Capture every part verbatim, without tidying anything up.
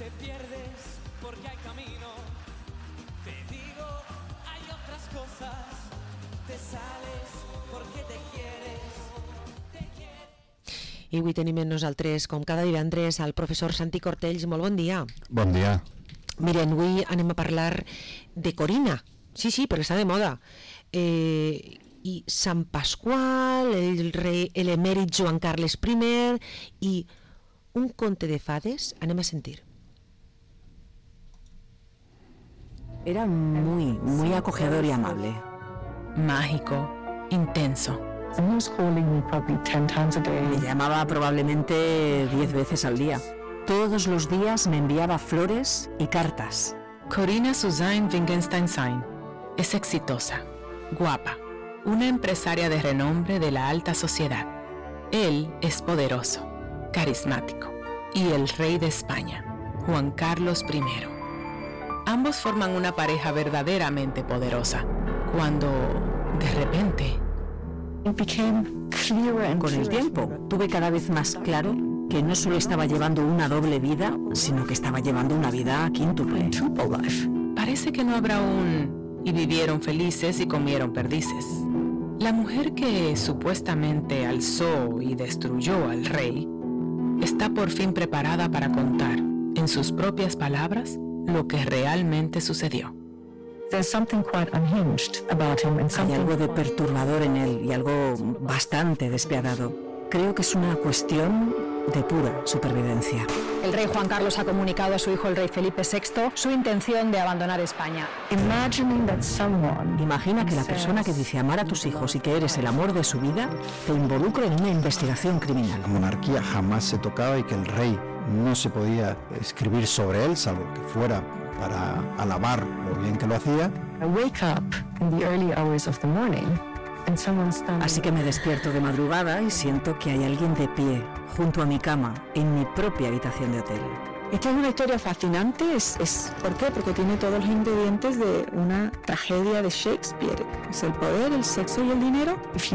te pierdes porque hay camino. Te digo, hay otras cosas. Te sales porque te quieres. Te quieres. I avui tenim amb nosaltres, com cada divendres, el professor Santi Cortells. Molt bon dia. Bon dia. Miren, avui anem a parlar de Corina. Sí, sí, perquè està de moda. Eh, I Sant Pasqual, el rei, l'emèrit Joan Carles primer i un conte de fades. Anem a sentir. Era muy, muy acogedor y amable. Mágico, intenso. Me llamaba probablemente diez veces al día. Todos los días me enviaba flores y cartas. Corina Suzanne Wittgenstein es exitosa, guapa, una empresaria de renombre de la alta sociedad. Él es poderoso, carismático y el rey de España, Juan Carlos primero. Ambos forman una pareja verdaderamente poderosa, cuando, de repente... Con el tiempo, tuve cada vez más claro que no solo estaba llevando una doble vida, sino que estaba llevando una vida quíntuple. Parece que no habrá un... y vivieron felices y comieron perdices. La mujer que supuestamente alzó y destruyó al rey está por fin preparada para contar, en sus propias palabras, lo que realmente sucedió. Hay algo de perturbador en él y algo bastante despiadado. Creo que es una cuestión de pura supervivencia. El rey Juan Carlos ha comunicado a su hijo el rey Felipe sexto su intención de abandonar España. Imagina que la persona que dice amar a tus hijos y que eres el amor de su vida te involucre en una investigación criminal. La monarquía jamás se tocaba y que el rey no se podía escribir sobre él, salvo que fuera para alabar lo bien que lo hacía. Así que me despierto de madrugada y siento que hay alguien de pie, junto a mi cama, en mi propia habitación de hotel. Esta es una historia fascinante, es, es, ¿por qué? Porque tiene todos los ingredientes de una tragedia de Shakespeare. Es el poder, el sexo y el dinero. Si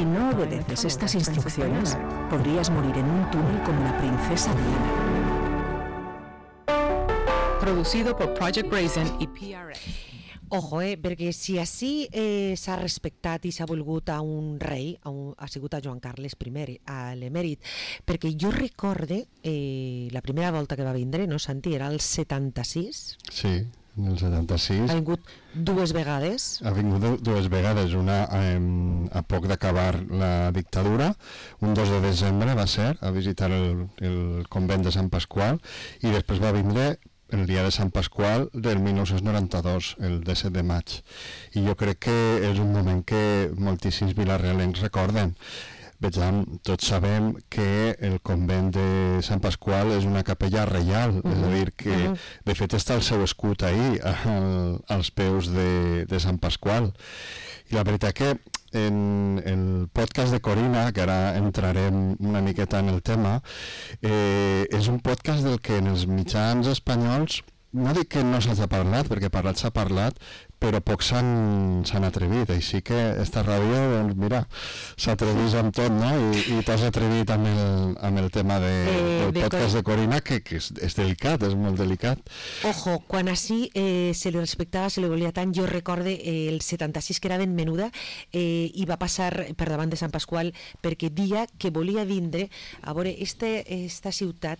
no obedeces estas instrucciones, podrías morir en un túnel como la princesa Diana. Producido por Project Raisin y P R A. Ojo, eh, perquè si així eh, s'ha respectat i s'ha volgut a un rei, a un, ha sigut a Joan Carles primer, a l'emèrit, perquè jo recorde eh, la primera volta que va vindre, no, Santi, era el setanta-sis? Sí, en el setanta-sis. Ha vingut dues vegades? Ha vingut dues vegades, una eh, a poc d'acabar la dictadura, un dos de desembre va ser, a visitar el, el convent de Sant Pasqual, i després va vindre el dia de Sant Pasqual del dinou noranta-dos, el disset de maig. I jo crec que és un moment que moltíssims vilarealencs recorden. Vejam, tots sabem que el convent de Sant Pasqual és una capella reial, uh-huh. és a dir, que uh-huh. de fet està el seu escut ahí, al, als peus de, de Sant Pasqual. I la veritat que en el podcast de Corina, que ara entrarem una miqueta en el tema, eh, és un podcast del que en els mitjans espanyols, no dic que no s'hagi parlat, perquè parlat s'ha parlat, però pocs s'han atrevit, així que esta ràdio, doncs mira, s'atrevís amb tot, no? I, i t'has atrevit amb el, amb el tema de, eh, del de podcast Cor... de Corina, que, que és, és delicat, és molt delicat. Ojo, quan així eh, se li respectava, se li volia tant, jo recorde eh, el setanta-sis, que era ben menuda, eh, i va passar per davant de Sant Pasqual, perquè dia que volia vindre a veure este, esta ciutat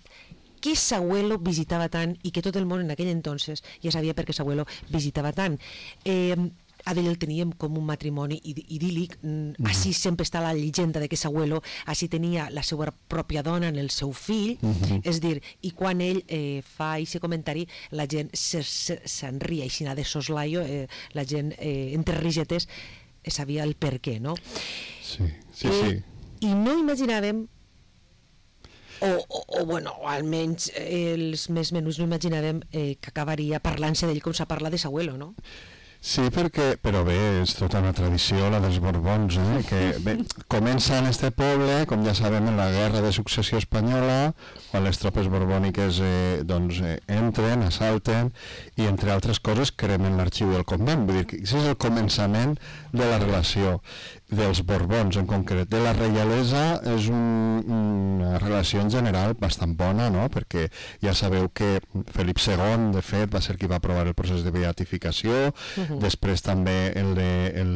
que Sahuelo visitava tant i que tot el món en aquell entonces ja sabia per què Sahuelo visitava tant. Eh, a ell el teníem com un matrimoni idíl·lic, mm. així sempre està la llegenda de que Sahuelo així tenia la seva pròpia dona en el seu fill, mm-hmm. és dir, i quan ell eh, fa aquest comentari la gent se'n ria així de soslaio, eh, la gent eh, entre risetes eh, sabia el per què, no? Sí, sí, eh, sí. I no imaginàvem O, o, o bueno, almenys eh, els més menús no imaginàvem eh, que acabaria parlant-se d'ell com s'ha parlat de Sahuelo, no? Sí, perquè, però bé, és tota una tradició, la dels Borbons, eh? que bé, comença en este poble, com ja sabem, en la guerra de successió espanyola, quan les tropes borbòniques eh, doncs, eh, entren, assalten, i entre altres coses cremen l'arxiu del convent, vull dir que això és el començament de la relació. dels Borbons en concret. De la reialesa és un, una relació en general bastant bona, no? Perquè ja sabeu que Felip segon, de fet, va ser qui va aprovar el procés de beatificació, uh-huh. després també el de, el,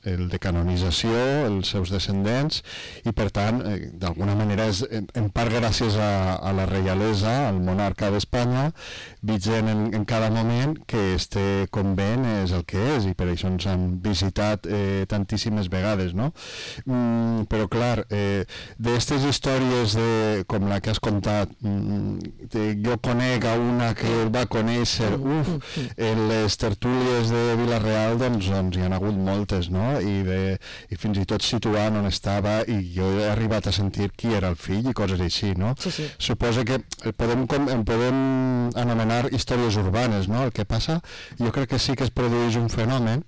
el de canonització, els seus descendents, i per tant, eh, d'alguna manera és en part gràcies a, a la reialesa, al monarca d'Espanya, vigent en, en cada moment, que este convent és el que és, i per això ens han visitat eh, tantíssimes vegades, no? Mm, però clar, eh, d'aquestes històries de, com la que has contat, mm, de, jo conec a una que el va conèixer, uf, en les tertúlies de Vila-real doncs, doncs hi ha hagut moltes, no? I, de, i fins i tot situant on estava, i jo he arribat a sentir qui era el fill i coses així, no? Sí, sí. Suposa que podem, en podem anomenar històries urbanes, no? El que passa, jo crec que sí que es produeix un fenomen,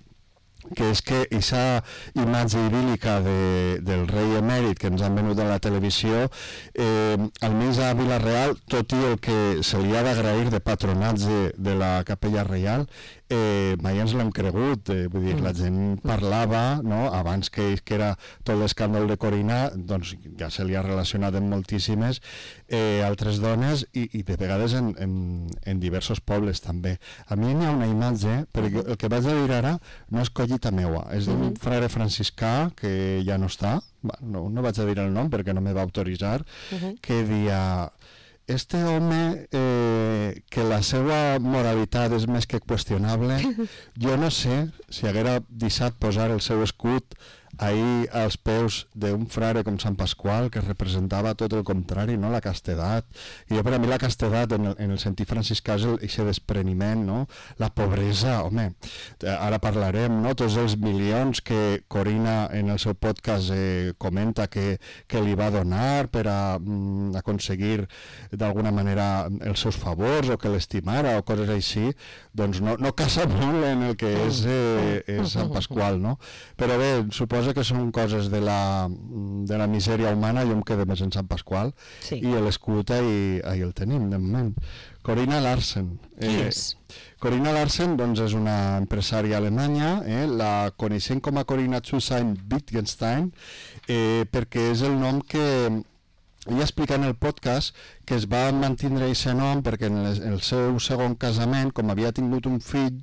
que és que aquesta imatge idíl·lica de, del rei emèrit que ens han venut a la televisió, eh, almenys a Vila-real, tot i el que se li ha d'agrair de patronatge de la capella reial, eh, mai ens l'hem cregut, eh, vull dir, la gent parlava, no? Abans que, que era tot l'escàndol de Corina, doncs ja se li ha relacionat amb moltíssimes eh, altres dones, i, i de vegades en, en, en diversos pobles també. A mi n'hi ha una imatge, perquè el que vaig a dir ara no és collita meua, és d'un uh-huh. frare franciscà que ja no està, no, no vaig a dir el nom perquè no me va autoritzar, uh-huh. que dia... Este home, eh, que la seva moralitat és més que qüestionable, jo no sé si haguera deixat posar el seu escut ahir als peus d'un frare com Sant Pasqual, que representava tot el contrari, no? La castedat. I jo, per a mi, la castedat, en el, en el sentit franciscà, és aquest despreniment, no? La pobresa, home, ara parlarem, no? Tots els milions que Corina en el seu podcast eh, comenta que, que li va donar per a mm, aconseguir d'alguna manera els seus favors, o que l'estimara, o coses així, doncs no, no casa molt en el que és, eh, és Sant Pasqual, no? Però bé, suposo que són coses de la, de la misèria humana. Jo em quedo més en Sant Pasqual, sí. I l'escut ahí, ahí el tenim, de moment. Corina Larsen. Qui eh, és? Corina Larsen doncs, és una empresària alemanya, eh, la coneixem com a Corina Zusain-Wittgenstein, eh, perquè és el nom que... Ella explica en el podcast que es va mantindre aquest nom perquè en el seu segon casament, com havia tingut un fill,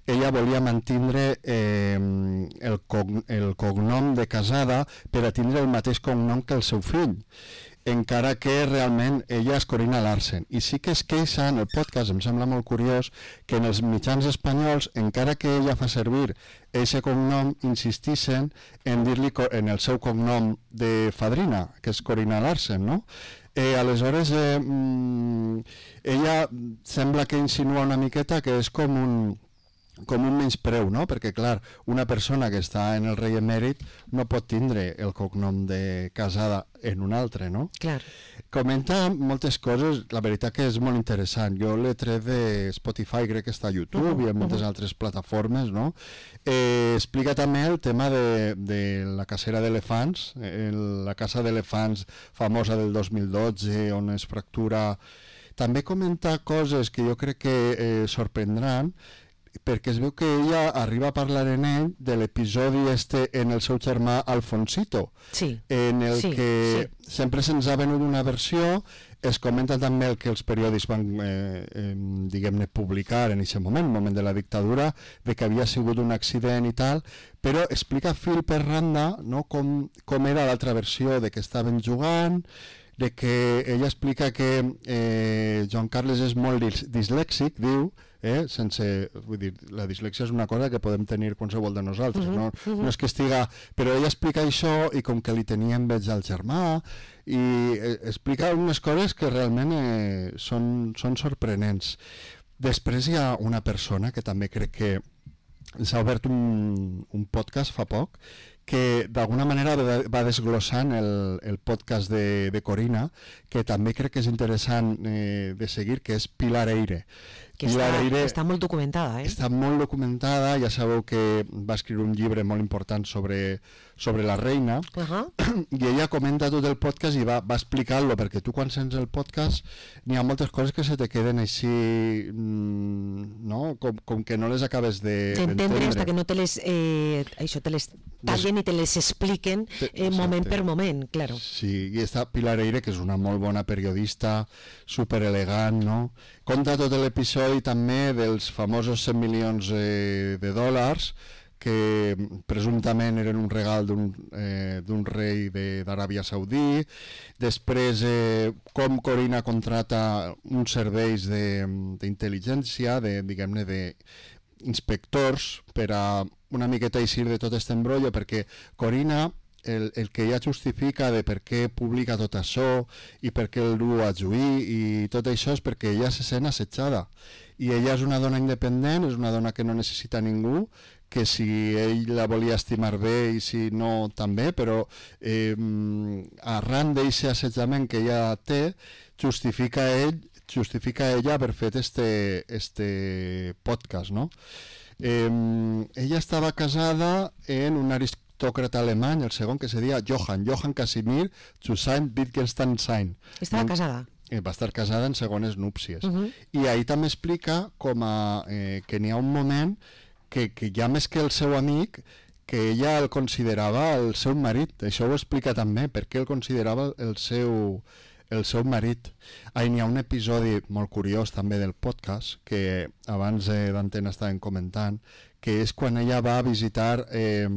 ella volia mantindre eh, el, cog el cognom de casada per a tindre el mateix cognom que el seu fill, encara que realment ella és Corina Larsen. I sí que es queixa en el podcast, em sembla molt curiós, que en els mitjans espanyols, encara que ella fa servir aquest cognom, insistixen en dir-li en el seu cognom de fadrina, que és Corina Larsen, no? Eh, aleshores, eh, mm, ella sembla que insinua una miqueta que és com un... com un menyspreu, no? Perquè, clar, una persona que està en el rei emèrit no pot tindre el cognom de casada en un altre, no? Clar. Comenta moltes coses, la veritat que és molt interessant. Jo l'he tret de Spotify, crec que està a YouTube uh-huh, i en moltes uh-huh. altres plataformes, no? Eh, explica també el tema de, de la cacera d'elefants, eh, la caça d'elefants famosa del dos mil dotze, on es fractura... També comenta coses que jo crec que eh, sorprendran, perquè es veu que ella arriba a parlar en ell de l'episodi este en el seu germà Alfonsito, sí. en el sí, que sí. sempre se'ns ha venut una versió, es comenta també el que els periòdics van, eh, eh, diguem-ne, publicar en aquest moment, moment de la dictadura, de que havia sigut un accident i tal, però explica fil per randa, no, com, com era l'altra versió, de que estaven jugant, de que ella explica que eh, Joan Carles és molt dis dislèxic, diu, eh, sense, vull dir, la dislèxia és una cosa que podem tenir qualsevol de nosaltres, uh-huh, no, uh-huh. no és que estiga, però ella explica això i com que li tenia enveja al germà i eh, explica unes coses que realment eh, són, són sorprenents. Després hi ha una persona que també crec que s'ha obert un, un podcast fa poc, que d'alguna manera va desglossant el, el podcast de, de Corina, que també crec que és interessant eh, de seguir, que és Pilar Eyre. Que està, Eyre està molt documentada, eh? Està molt documentada, ja sabeu que va escriure un llibre molt important sobre, sobre la reina, uh-huh. i ella comenta tot el podcast i va, va explicar-lo, perquè tu quan sents el podcast n'hi ha moltes coses que se te queden així, no? Com, com que no les acabes de, d'entendre, fins que no te les, eh, això, te les tallen i te les expliquen eh, moment per moment, claro. Sí, i està Pilar Eire, que és una molt bona periodista, super elegant, no? Conta tot l'episodi també dels famosos cent milions eh, de dòlars que presumptament eren un regal d'un eh, d'un rei d'Aràbia Saudí. Després, eh, com Corinna contrata uns serveis d'intel·ligència, de, diguem-ne, d'inspectors, per a una miqueta eixir de tot aquest embrollo, perquè Corinna, el, el que ella justifica de per què publica tot això i per què el du a juí i tot això és perquè ella se sent assetjada. I ella és una dona independent, és una dona que no necessita ningú, que si ell la volia estimar bé i si no també, però eh, arran d'aquest assetjament que ella té, justifica ell justifica ella haver fet este, este podcast, no? Eh, ella estava casada en un aristòcrata alemany, el segon, que se deia Johann, Johann Casimir zu Wittgenstein. Estava no? casada. Eh, va estar casada en segones núpcies. Uh -huh. I ahí també explica com a, eh, que n'hi ha un moment que, que ja més que el seu amic, que ella el considerava el seu marit. Això ho explica també, perquè el considerava el seu, el seu marit. Ahí n'hi ha un episodi molt curiós també del podcast, que abans eh, d'Antena estàvem comentant, que és quan ella va a visitar eh,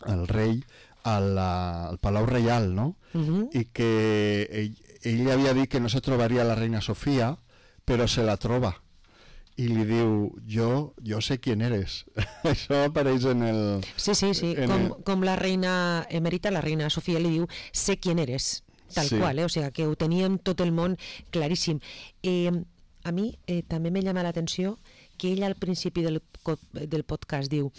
el rei al, al Palau Reial, no? Uh-huh. I que ell, ell havia dit que no se trobaria la reina Sofia, però se la troba. I li diu, jo, jo sé quién eres. Això apareix en el... Sí, sí, sí, com, el... com la reina emèrita, la reina Sofia li diu, sé quién eres, tal sí. qual, eh? O sigui, que ho teníem tot el món claríssim. Eh, a mi eh, també me llama l'atenció que ella al principi del, del podcast diu,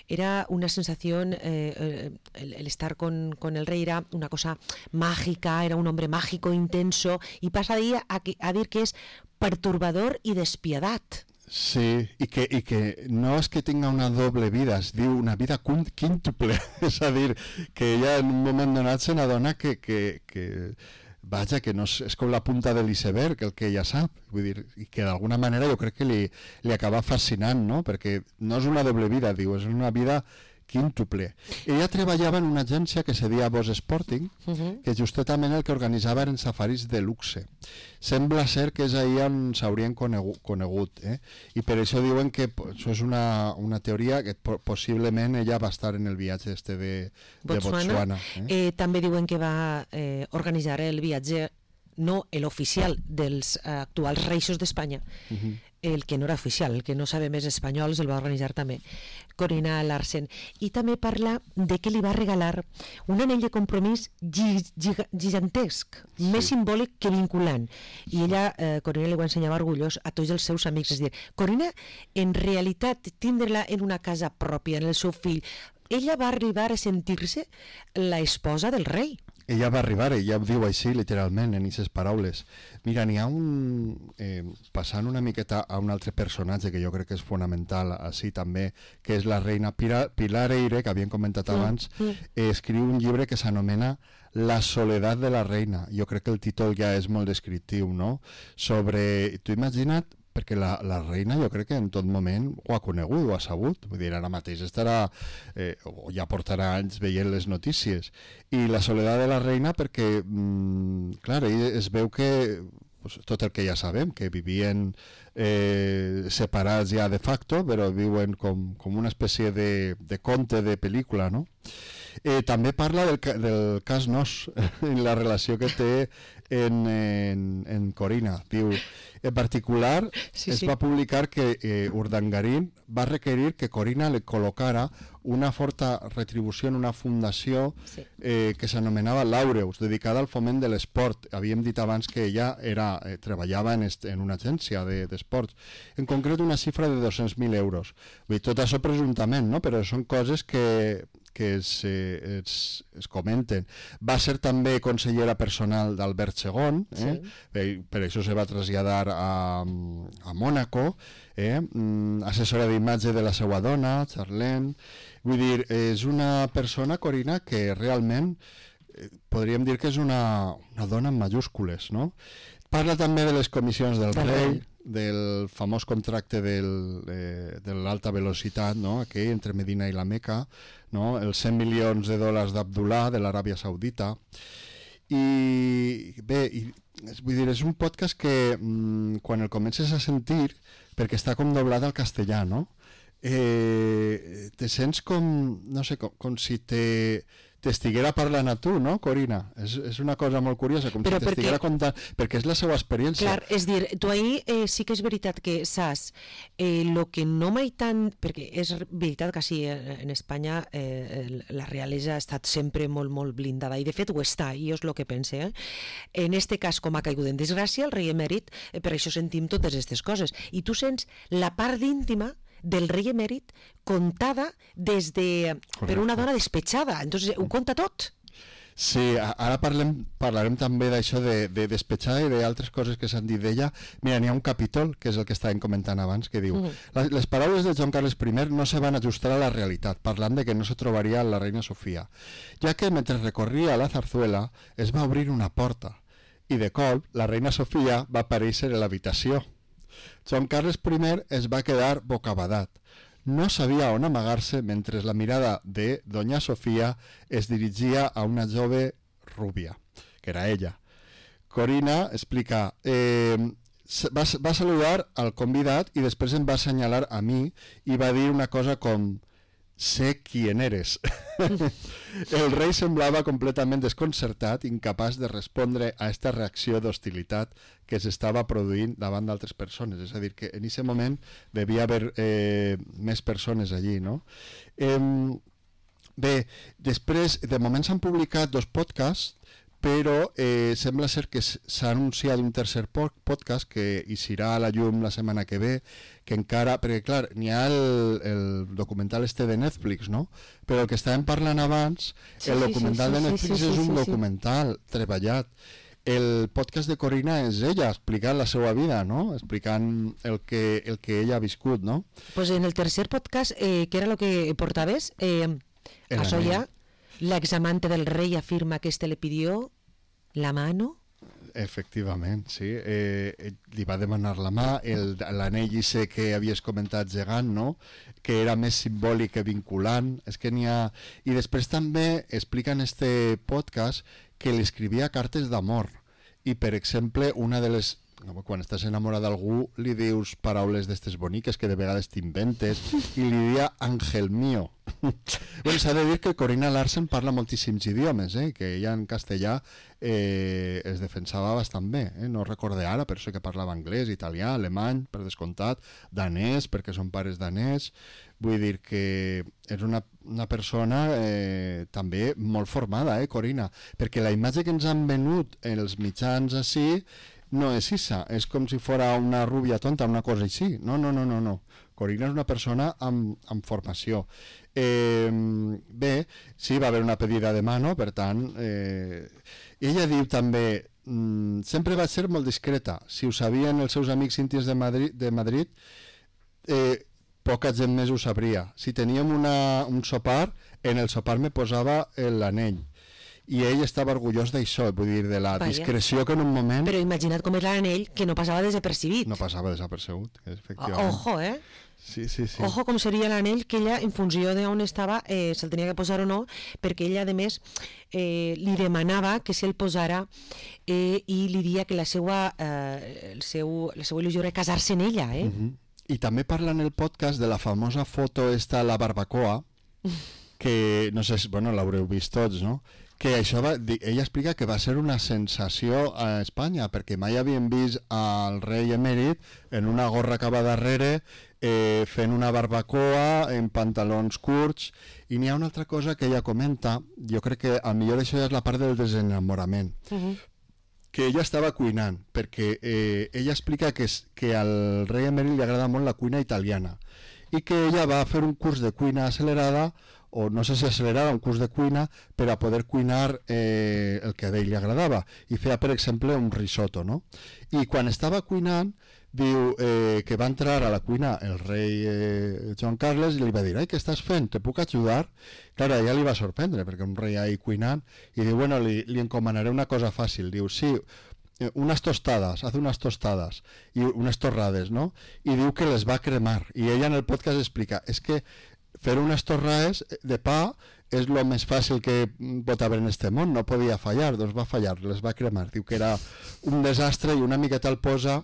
era una sensació, eh, el, el estar con, con el rey era una cosa mágica, era un hombre mágico, intenso, y pasa de a, a dir que és perturbador i despiadat. Sí, i que, i que no és que tinga una doble vida, es diu una vida quíntuple, és a dir, que ella en un moment donat se n'adona que, que, que vaja, que no és, és com la punta de l'iceberg, el que ella sap, vull dir, i que d'alguna manera jo crec que li, li acaba fascinant, no? Perquè no és una doble vida, diu, és una vida quíntuple. Ella treballava en una agència que se deia Boss Sporting, uh-huh. que justament el que organitzava eren safaris de luxe. Sembla ser que és ahir on s'haurien conegut, conegut eh? I per això diuen que això és una, una teoria que possiblement ella va estar en el viatge este de, de Botswana. Botswana eh? Eh, també diuen que va eh, organitzar el viatge, no l'oficial dels eh, actuals reixos d'Espanya, uh-huh. el que no era oficial, el que no sabe més espanyol, el va organitzar també Corinna Larsen. I també parla de que li va regalar un anell de compromís gigantesc, sí. més simbòlic que vinculant. I ella, eh, Corinna, li ho ensenyava orgullós a tots els seus amics. És dir, Corinna, en realitat, tindre-la en una casa pròpia, en el seu fill, ella va arribar a sentir-se la esposa del rei. Ella va arribar, ella ho diu així literalment en aquestes paraules. Mira, n'hi ha un... Eh, passant una miqueta a un altre personatge que jo crec que és fonamental així també, que és la reina Pilar, Pilar Eire, que havíem comentat abans, mm. eh, escriu un llibre que s'anomena La soledat de la reina. Jo crec que el títol ja és molt descriptiu, no? Sobre... Tu imagina't, perquè la, la reina jo crec que en tot moment ho ha conegut, ho ha sabut, vull dir, ara mateix estarà, eh, o ja portarà anys veient les notícies, i la soledat de la reina perquè, mm, clar, es veu que pues, tot el que ja sabem, que vivien eh, separats ja de facto, però viuen com, com una espècie de, de conte de pel·lícula, no? Eh, també parla del, del cas Nos, en la relació que té en, en, en Corinna. Diu, en particular, sí, es sí. va publicar que eh, Urdangarín va requerir que Corinna le col·locara una forta retribució en una fundació sí. eh, que s'anomenava Laureus, dedicada al foment de l'esport. Havíem dit abans que ella era, eh, treballava en, est, en una agència d'esports. De, en concret, una xifra de dos-cents mil euros. Vull dir, tot això presumptament, no? Però són coses que... que es, eh, es, es comenten. Va ser també consellera personal d'Albert segon, eh? Sí. Per, per això se va traslladar a, a Mònaco, eh? assessora d'imatge de la seva dona, Charlene. Vull dir, és una persona, Corinna, que realment eh, podríem dir que és una, una dona en majúscules, no? Parla també de les comissions del rei, del famós contracte del, eh, de l'alta velocitat, no? Aquell entre Medina i la Meca, no? Els cent milions de dòlars d'Abdullah de l'Aràbia Saudita. I bé, i, vull dir, és un podcast que mm, quan el comences a sentir, perquè està com doblat al castellà, no? Eh, te sents com, no sé, com, com si te... t'estiguera parlant a tu, no, Corina? És, és una cosa molt curiosa, com Però si t'estiguera perquè... contant, perquè és la seva experiència. Clar, és dir, tu ahir eh, sí que és veritat que saps eh, lo que no mai tant, perquè és veritat que sí, eh, en Espanya eh, la realesa ha estat sempre molt, molt blindada, i de fet ho està, i és el que pense. Eh? En este cas, com ha caigut en desgràcia, el rei emèrit, eh, per això sentim totes aquestes coses, i tu sents la part íntima del rei emèrit contada des de, per una dona despetxada. Entonces ho conta tot. Sí, ara parlem, parlarem també d'això de, de despetxada i d'altres coses que s'han dit d'ella. Mira, n'hi ha un capítol, que és el que estàvem comentant abans, que diu uh-huh. les paraules de Joan Carles I no se van ajustar a la realitat, parlant de que no se trobaria la reina Sofia, ja que mentre recorria la zarzuela es va obrir una porta i de cop la reina Sofia va aparèixer a l'habitació. Joan Carles I es va quedar bocabadat. No sabia on amagar-se mentre la mirada de Doña Sofia es dirigia a una jove rúbia, que era ella. Corina explica, eh, va, va saludar al convidat i després em va assenyalar a mi i va dir una cosa com «Sé quién eres». El rei semblava completament desconcertat, incapaç de respondre a aquesta reacció d'hostilitat que s'estava produint davant d'altres persones. És a dir, que en aquest moment devia haver eh, més persones allí, no? Eh, bé, després, de moment s'han publicat dos podcasts, però eh, sembla ser que s'ha anunciat un tercer podcast que hi serà a la llum la setmana que ve, que encara, perquè clar, n'hi ha el, el documental este de Netflix, no? Però el que estàvem parlant abans, sí, el documental sí, sí, de Netflix sí, sí, sí, és un sí, documental sí. treballat. El podcast de Corina és ella explicant la seva vida, no? Explicant el que, el que ella ha viscut, no? Pues en el tercer podcast, eh, que era lo que portaves, eh, a Soya, la examante del rey afirma que este le pidió la mano. Efectivament, sí. Eh, li va demanar la mà, l'anell i sé que havies comentat gegant, no? Que era més simbòlic que vinculant. És que n'hi ha... I després també explica en este podcast que li escrivia cartes d'amor. I, per exemple, una de les... quan estàs enamorat d'algú li dius paraules d'estes boniques que de vegades t'inventes i li dia Ángel mío. Bueno, s'ha de dir que Corina Larsen parla moltíssims idiomes, eh? Que ella en castellà eh, es defensava bastant bé, eh? No recorde ara, però sé que parlava anglès, italià, alemany, per descomptat, danès, perquè són pares danès. Vull dir que és una, una persona eh, també molt formada, eh, Corina? Perquè la imatge que ens han venut els mitjans així no és issa, és com si fora una rúbia tonta, una cosa així. No, no, no, no, no. Corina és una persona amb, amb formació. Eh, bé, sí, va haver una pedida de mano, per tant, eh, ella diu també, mm, sempre va ser molt discreta. Si ho sabien els seus amics íntims de Madrid, de Madrid eh, poca gent més ho sabria. Si teníem una, un sopar, en el sopar me posava l'anell. I ell estava orgullós d'això, vull dir, de la Vaya. discreció que en un moment... Però imagina't com era l'anell, que no passava desapercibit. No passava desapercebut, efectivament. Ojo, eh? Sí, sí, sí. Ojo com seria l'anell que ella, en funció d'on estava, eh, se'l tenia que posar o no, perquè ella, a més, eh, li demanava que se'l posara eh, i li dia que la seva, eh, el seu, la seva il·lusió era casar-se en ella, eh? Uh-huh. I també parla en el podcast de la famosa foto esta, la barbacoa, que, no sé, bueno, l'haureu vist tots, no?, que això va, ella explica que va ser una sensació a Espanya, perquè mai havien vist al rei emèrit en una gorra que va darrere, eh, fent una barbacoa, en pantalons curts, i n'hi ha una altra cosa que ella comenta, jo crec que a millor això és la part del desenamorament, uh-huh. que ella estava cuinant, perquè eh, ella explica que, que al rei emèrit li agrada molt la cuina italiana, i que ella va fer un curs de cuina accelerada, o no sé si accelerava un curs de cuina per a poder cuinar eh, el que a ell li agradava, i feia, per exemple, un risotto, no? I quan estava cuinant, diu eh, que va entrar a la cuina el rei eh, Joan Carles i li va dir, ai, què estàs fent? Te puc ajudar? Clar, a ella li va sorprendre, perquè un rei ahí cuinant, i diu, bueno, li, li encomanaré una cosa fàcil. Diu, sí, unas tostadas, hace unas tostadas y unas torrades, ¿no? Y diu que les va a cremar. Y ella en el podcast explica, es que fer unes torrades de pa és el més fàcil que pot haver en este món, no podia fallar, doncs va fallar, les va cremar. Diu que era un desastre i una miqueta el posa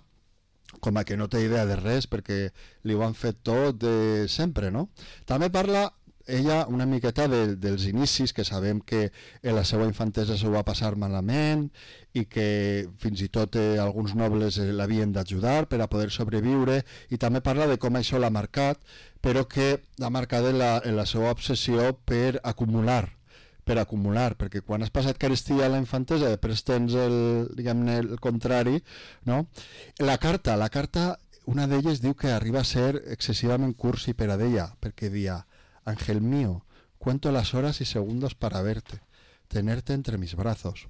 com a que no té idea de res perquè li ho han fet tot de sempre, no? També parla ella una miqueta de, dels inicis, que sabem que en la seva infantesa s'ho va passar malament i que fins i tot eh, alguns nobles eh, l'havien d'ajudar per a poder sobreviure, i també parla de com això l'ha marcat, però que l'ha marcat en la, en la seva obsessió per acumular, per acumular, perquè quan has passat carestia a la infantesa després tens el, diguem-ne, el contrari, no? La carta, la carta, una d'elles diu que arriba a ser excessivament cursi per a d'ella, perquè dia Ángel mío, cuento las horas y segundos para verte, tenerte entre mis brazos,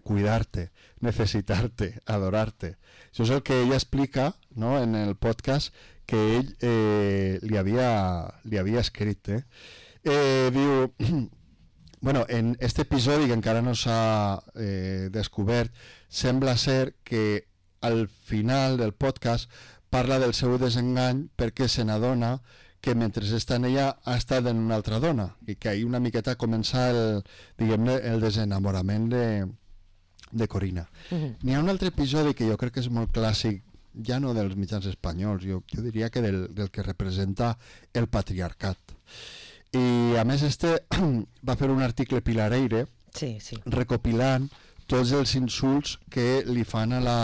cuidarte, necesitarte, adorarte. Això és el que ella explica, no?, en el podcast que ell eh, li, havia, li havia escrit. Eh? Eh, diu, bueno, en este episodi que encara no s'ha eh, descobert, sembla ser que al final del podcast parla del seu desengany perquè se n'adona que mentre està en ella ha estat en una altra dona i que ahir una miqueta comença el, diguem-ne, el desenamorament de, de Corina. Uh-huh. N'hi ha un altre episodi que jo crec que és molt clàssic, ja no dels mitjans espanyols, jo, jo diria que del, del que representa el patriarcat. I a més este va fer un article Pilar Eyre, sí, sí, recopilant tots els insults que li fan a la...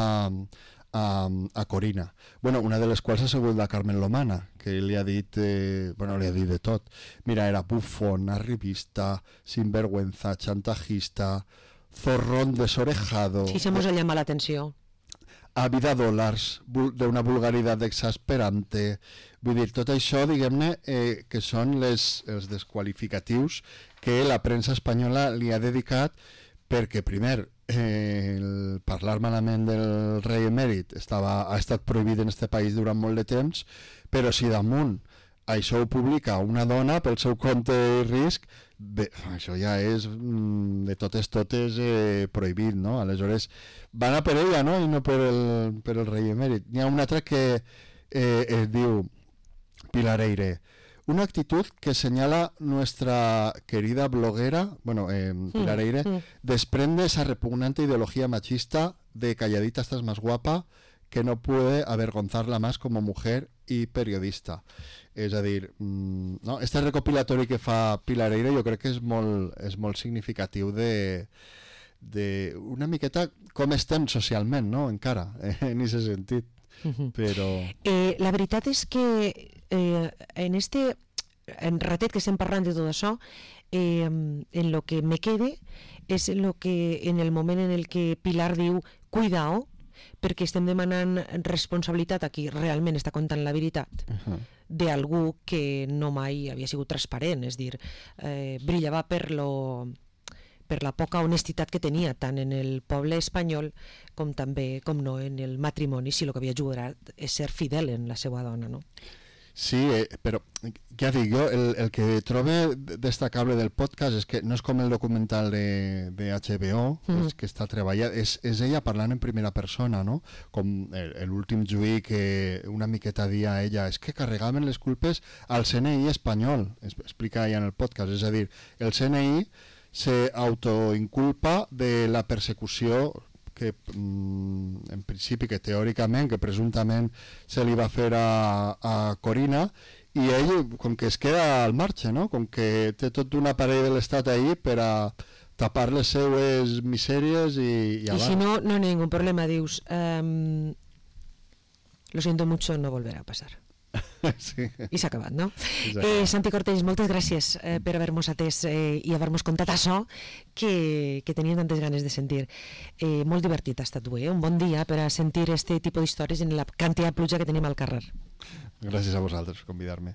A, a Corina. Bueno, una de les quals ha sigut la Carmen Lomana, que li ha dit, eh, bueno, li ha dit de tot. Mira, era bufón, arribista, sinvergüenza, chantajista, zorrón desorejado. Sí, se mos ha llamat l'atenció. Ávida dòlars, d'una vulgaritat exasperante. Vull dir, tot això, diguem-ne, eh, que són les, els desqualificatius que la premsa espanyola li ha dedicat perquè, primer, eh, el parlar malament del rei emèrit estava, ha estat prohibit en este país durant molt de temps, però si damunt això ho publica una dona pel seu compte i risc, bé, això ja és mm, de totes totes eh, prohibit, no? Aleshores van a per ella, no? I no per el, per el rei emèrit. N'hi ha un altre que eh, es diu Pilar Eyre. Una actitud que señala nuestra querida bloguera, bueno, eh, Pilar Eyre, mm, mm. desprende esa repugnante ideología machista de calladita estás más guapa, que no puede avergonzarla más como mujer y periodista. És a dir, mm, no? Este recopilatori que fa Pilar Eyre jo crec que és molt, és molt significatiu de, de una miqueta com estem socialment, no?, encara, eh, en aquest sentit. Però... Eh, la veritat és que eh, en este en ratet que estem parlant de tot això, eh, en lo que me quede és en lo que en el moment en el que Pilar diu cuidao, perquè estem demanant responsabilitat a qui realment està contant la veritat uh-huh. d'algú que no mai havia sigut transparent, és dir, eh, brillava per lo per la poca honestitat que tenia tant en el poble espanyol com també, com no, en el matrimoni, si el que havia ajudat és ser fidel en la seva dona, no? Sí, eh, però ja dic jo, el, el que trobo destacable del podcast és que no és com el documental de, de H B O, mm. és que està treballat, és, és ella parlant en primera persona, no? Com l'últim juí que una miqueta dia a ella, és que carregaven les culpes al C N I espanyol, explica ella en el podcast, és a dir, el C N I se autoinculpa de la persecució que mm, en principi, que teòricament, que presumptament se li va fer a, a Corina, i ell com que es queda al marge, no? Com que té tot un aparell de l'estat ahí per a tapar les seues misèries i, i, i si no, no hi ha ningú problema, dius um, lo siento mucho, no volverá a pasar. Sí. I s'ha acabat, no? Eh, Santi Cortells, moltes gràcies eh, per haver-nos atès eh, i haver-nos contat això que, que teníem tantes ganes de sentir. Eh, molt divertit ha estat avui, eh? Un bon dia per a sentir este tipus d'històries en la quantitat de pluja que tenim al carrer. Gràcies a vosaltres per convidar-me.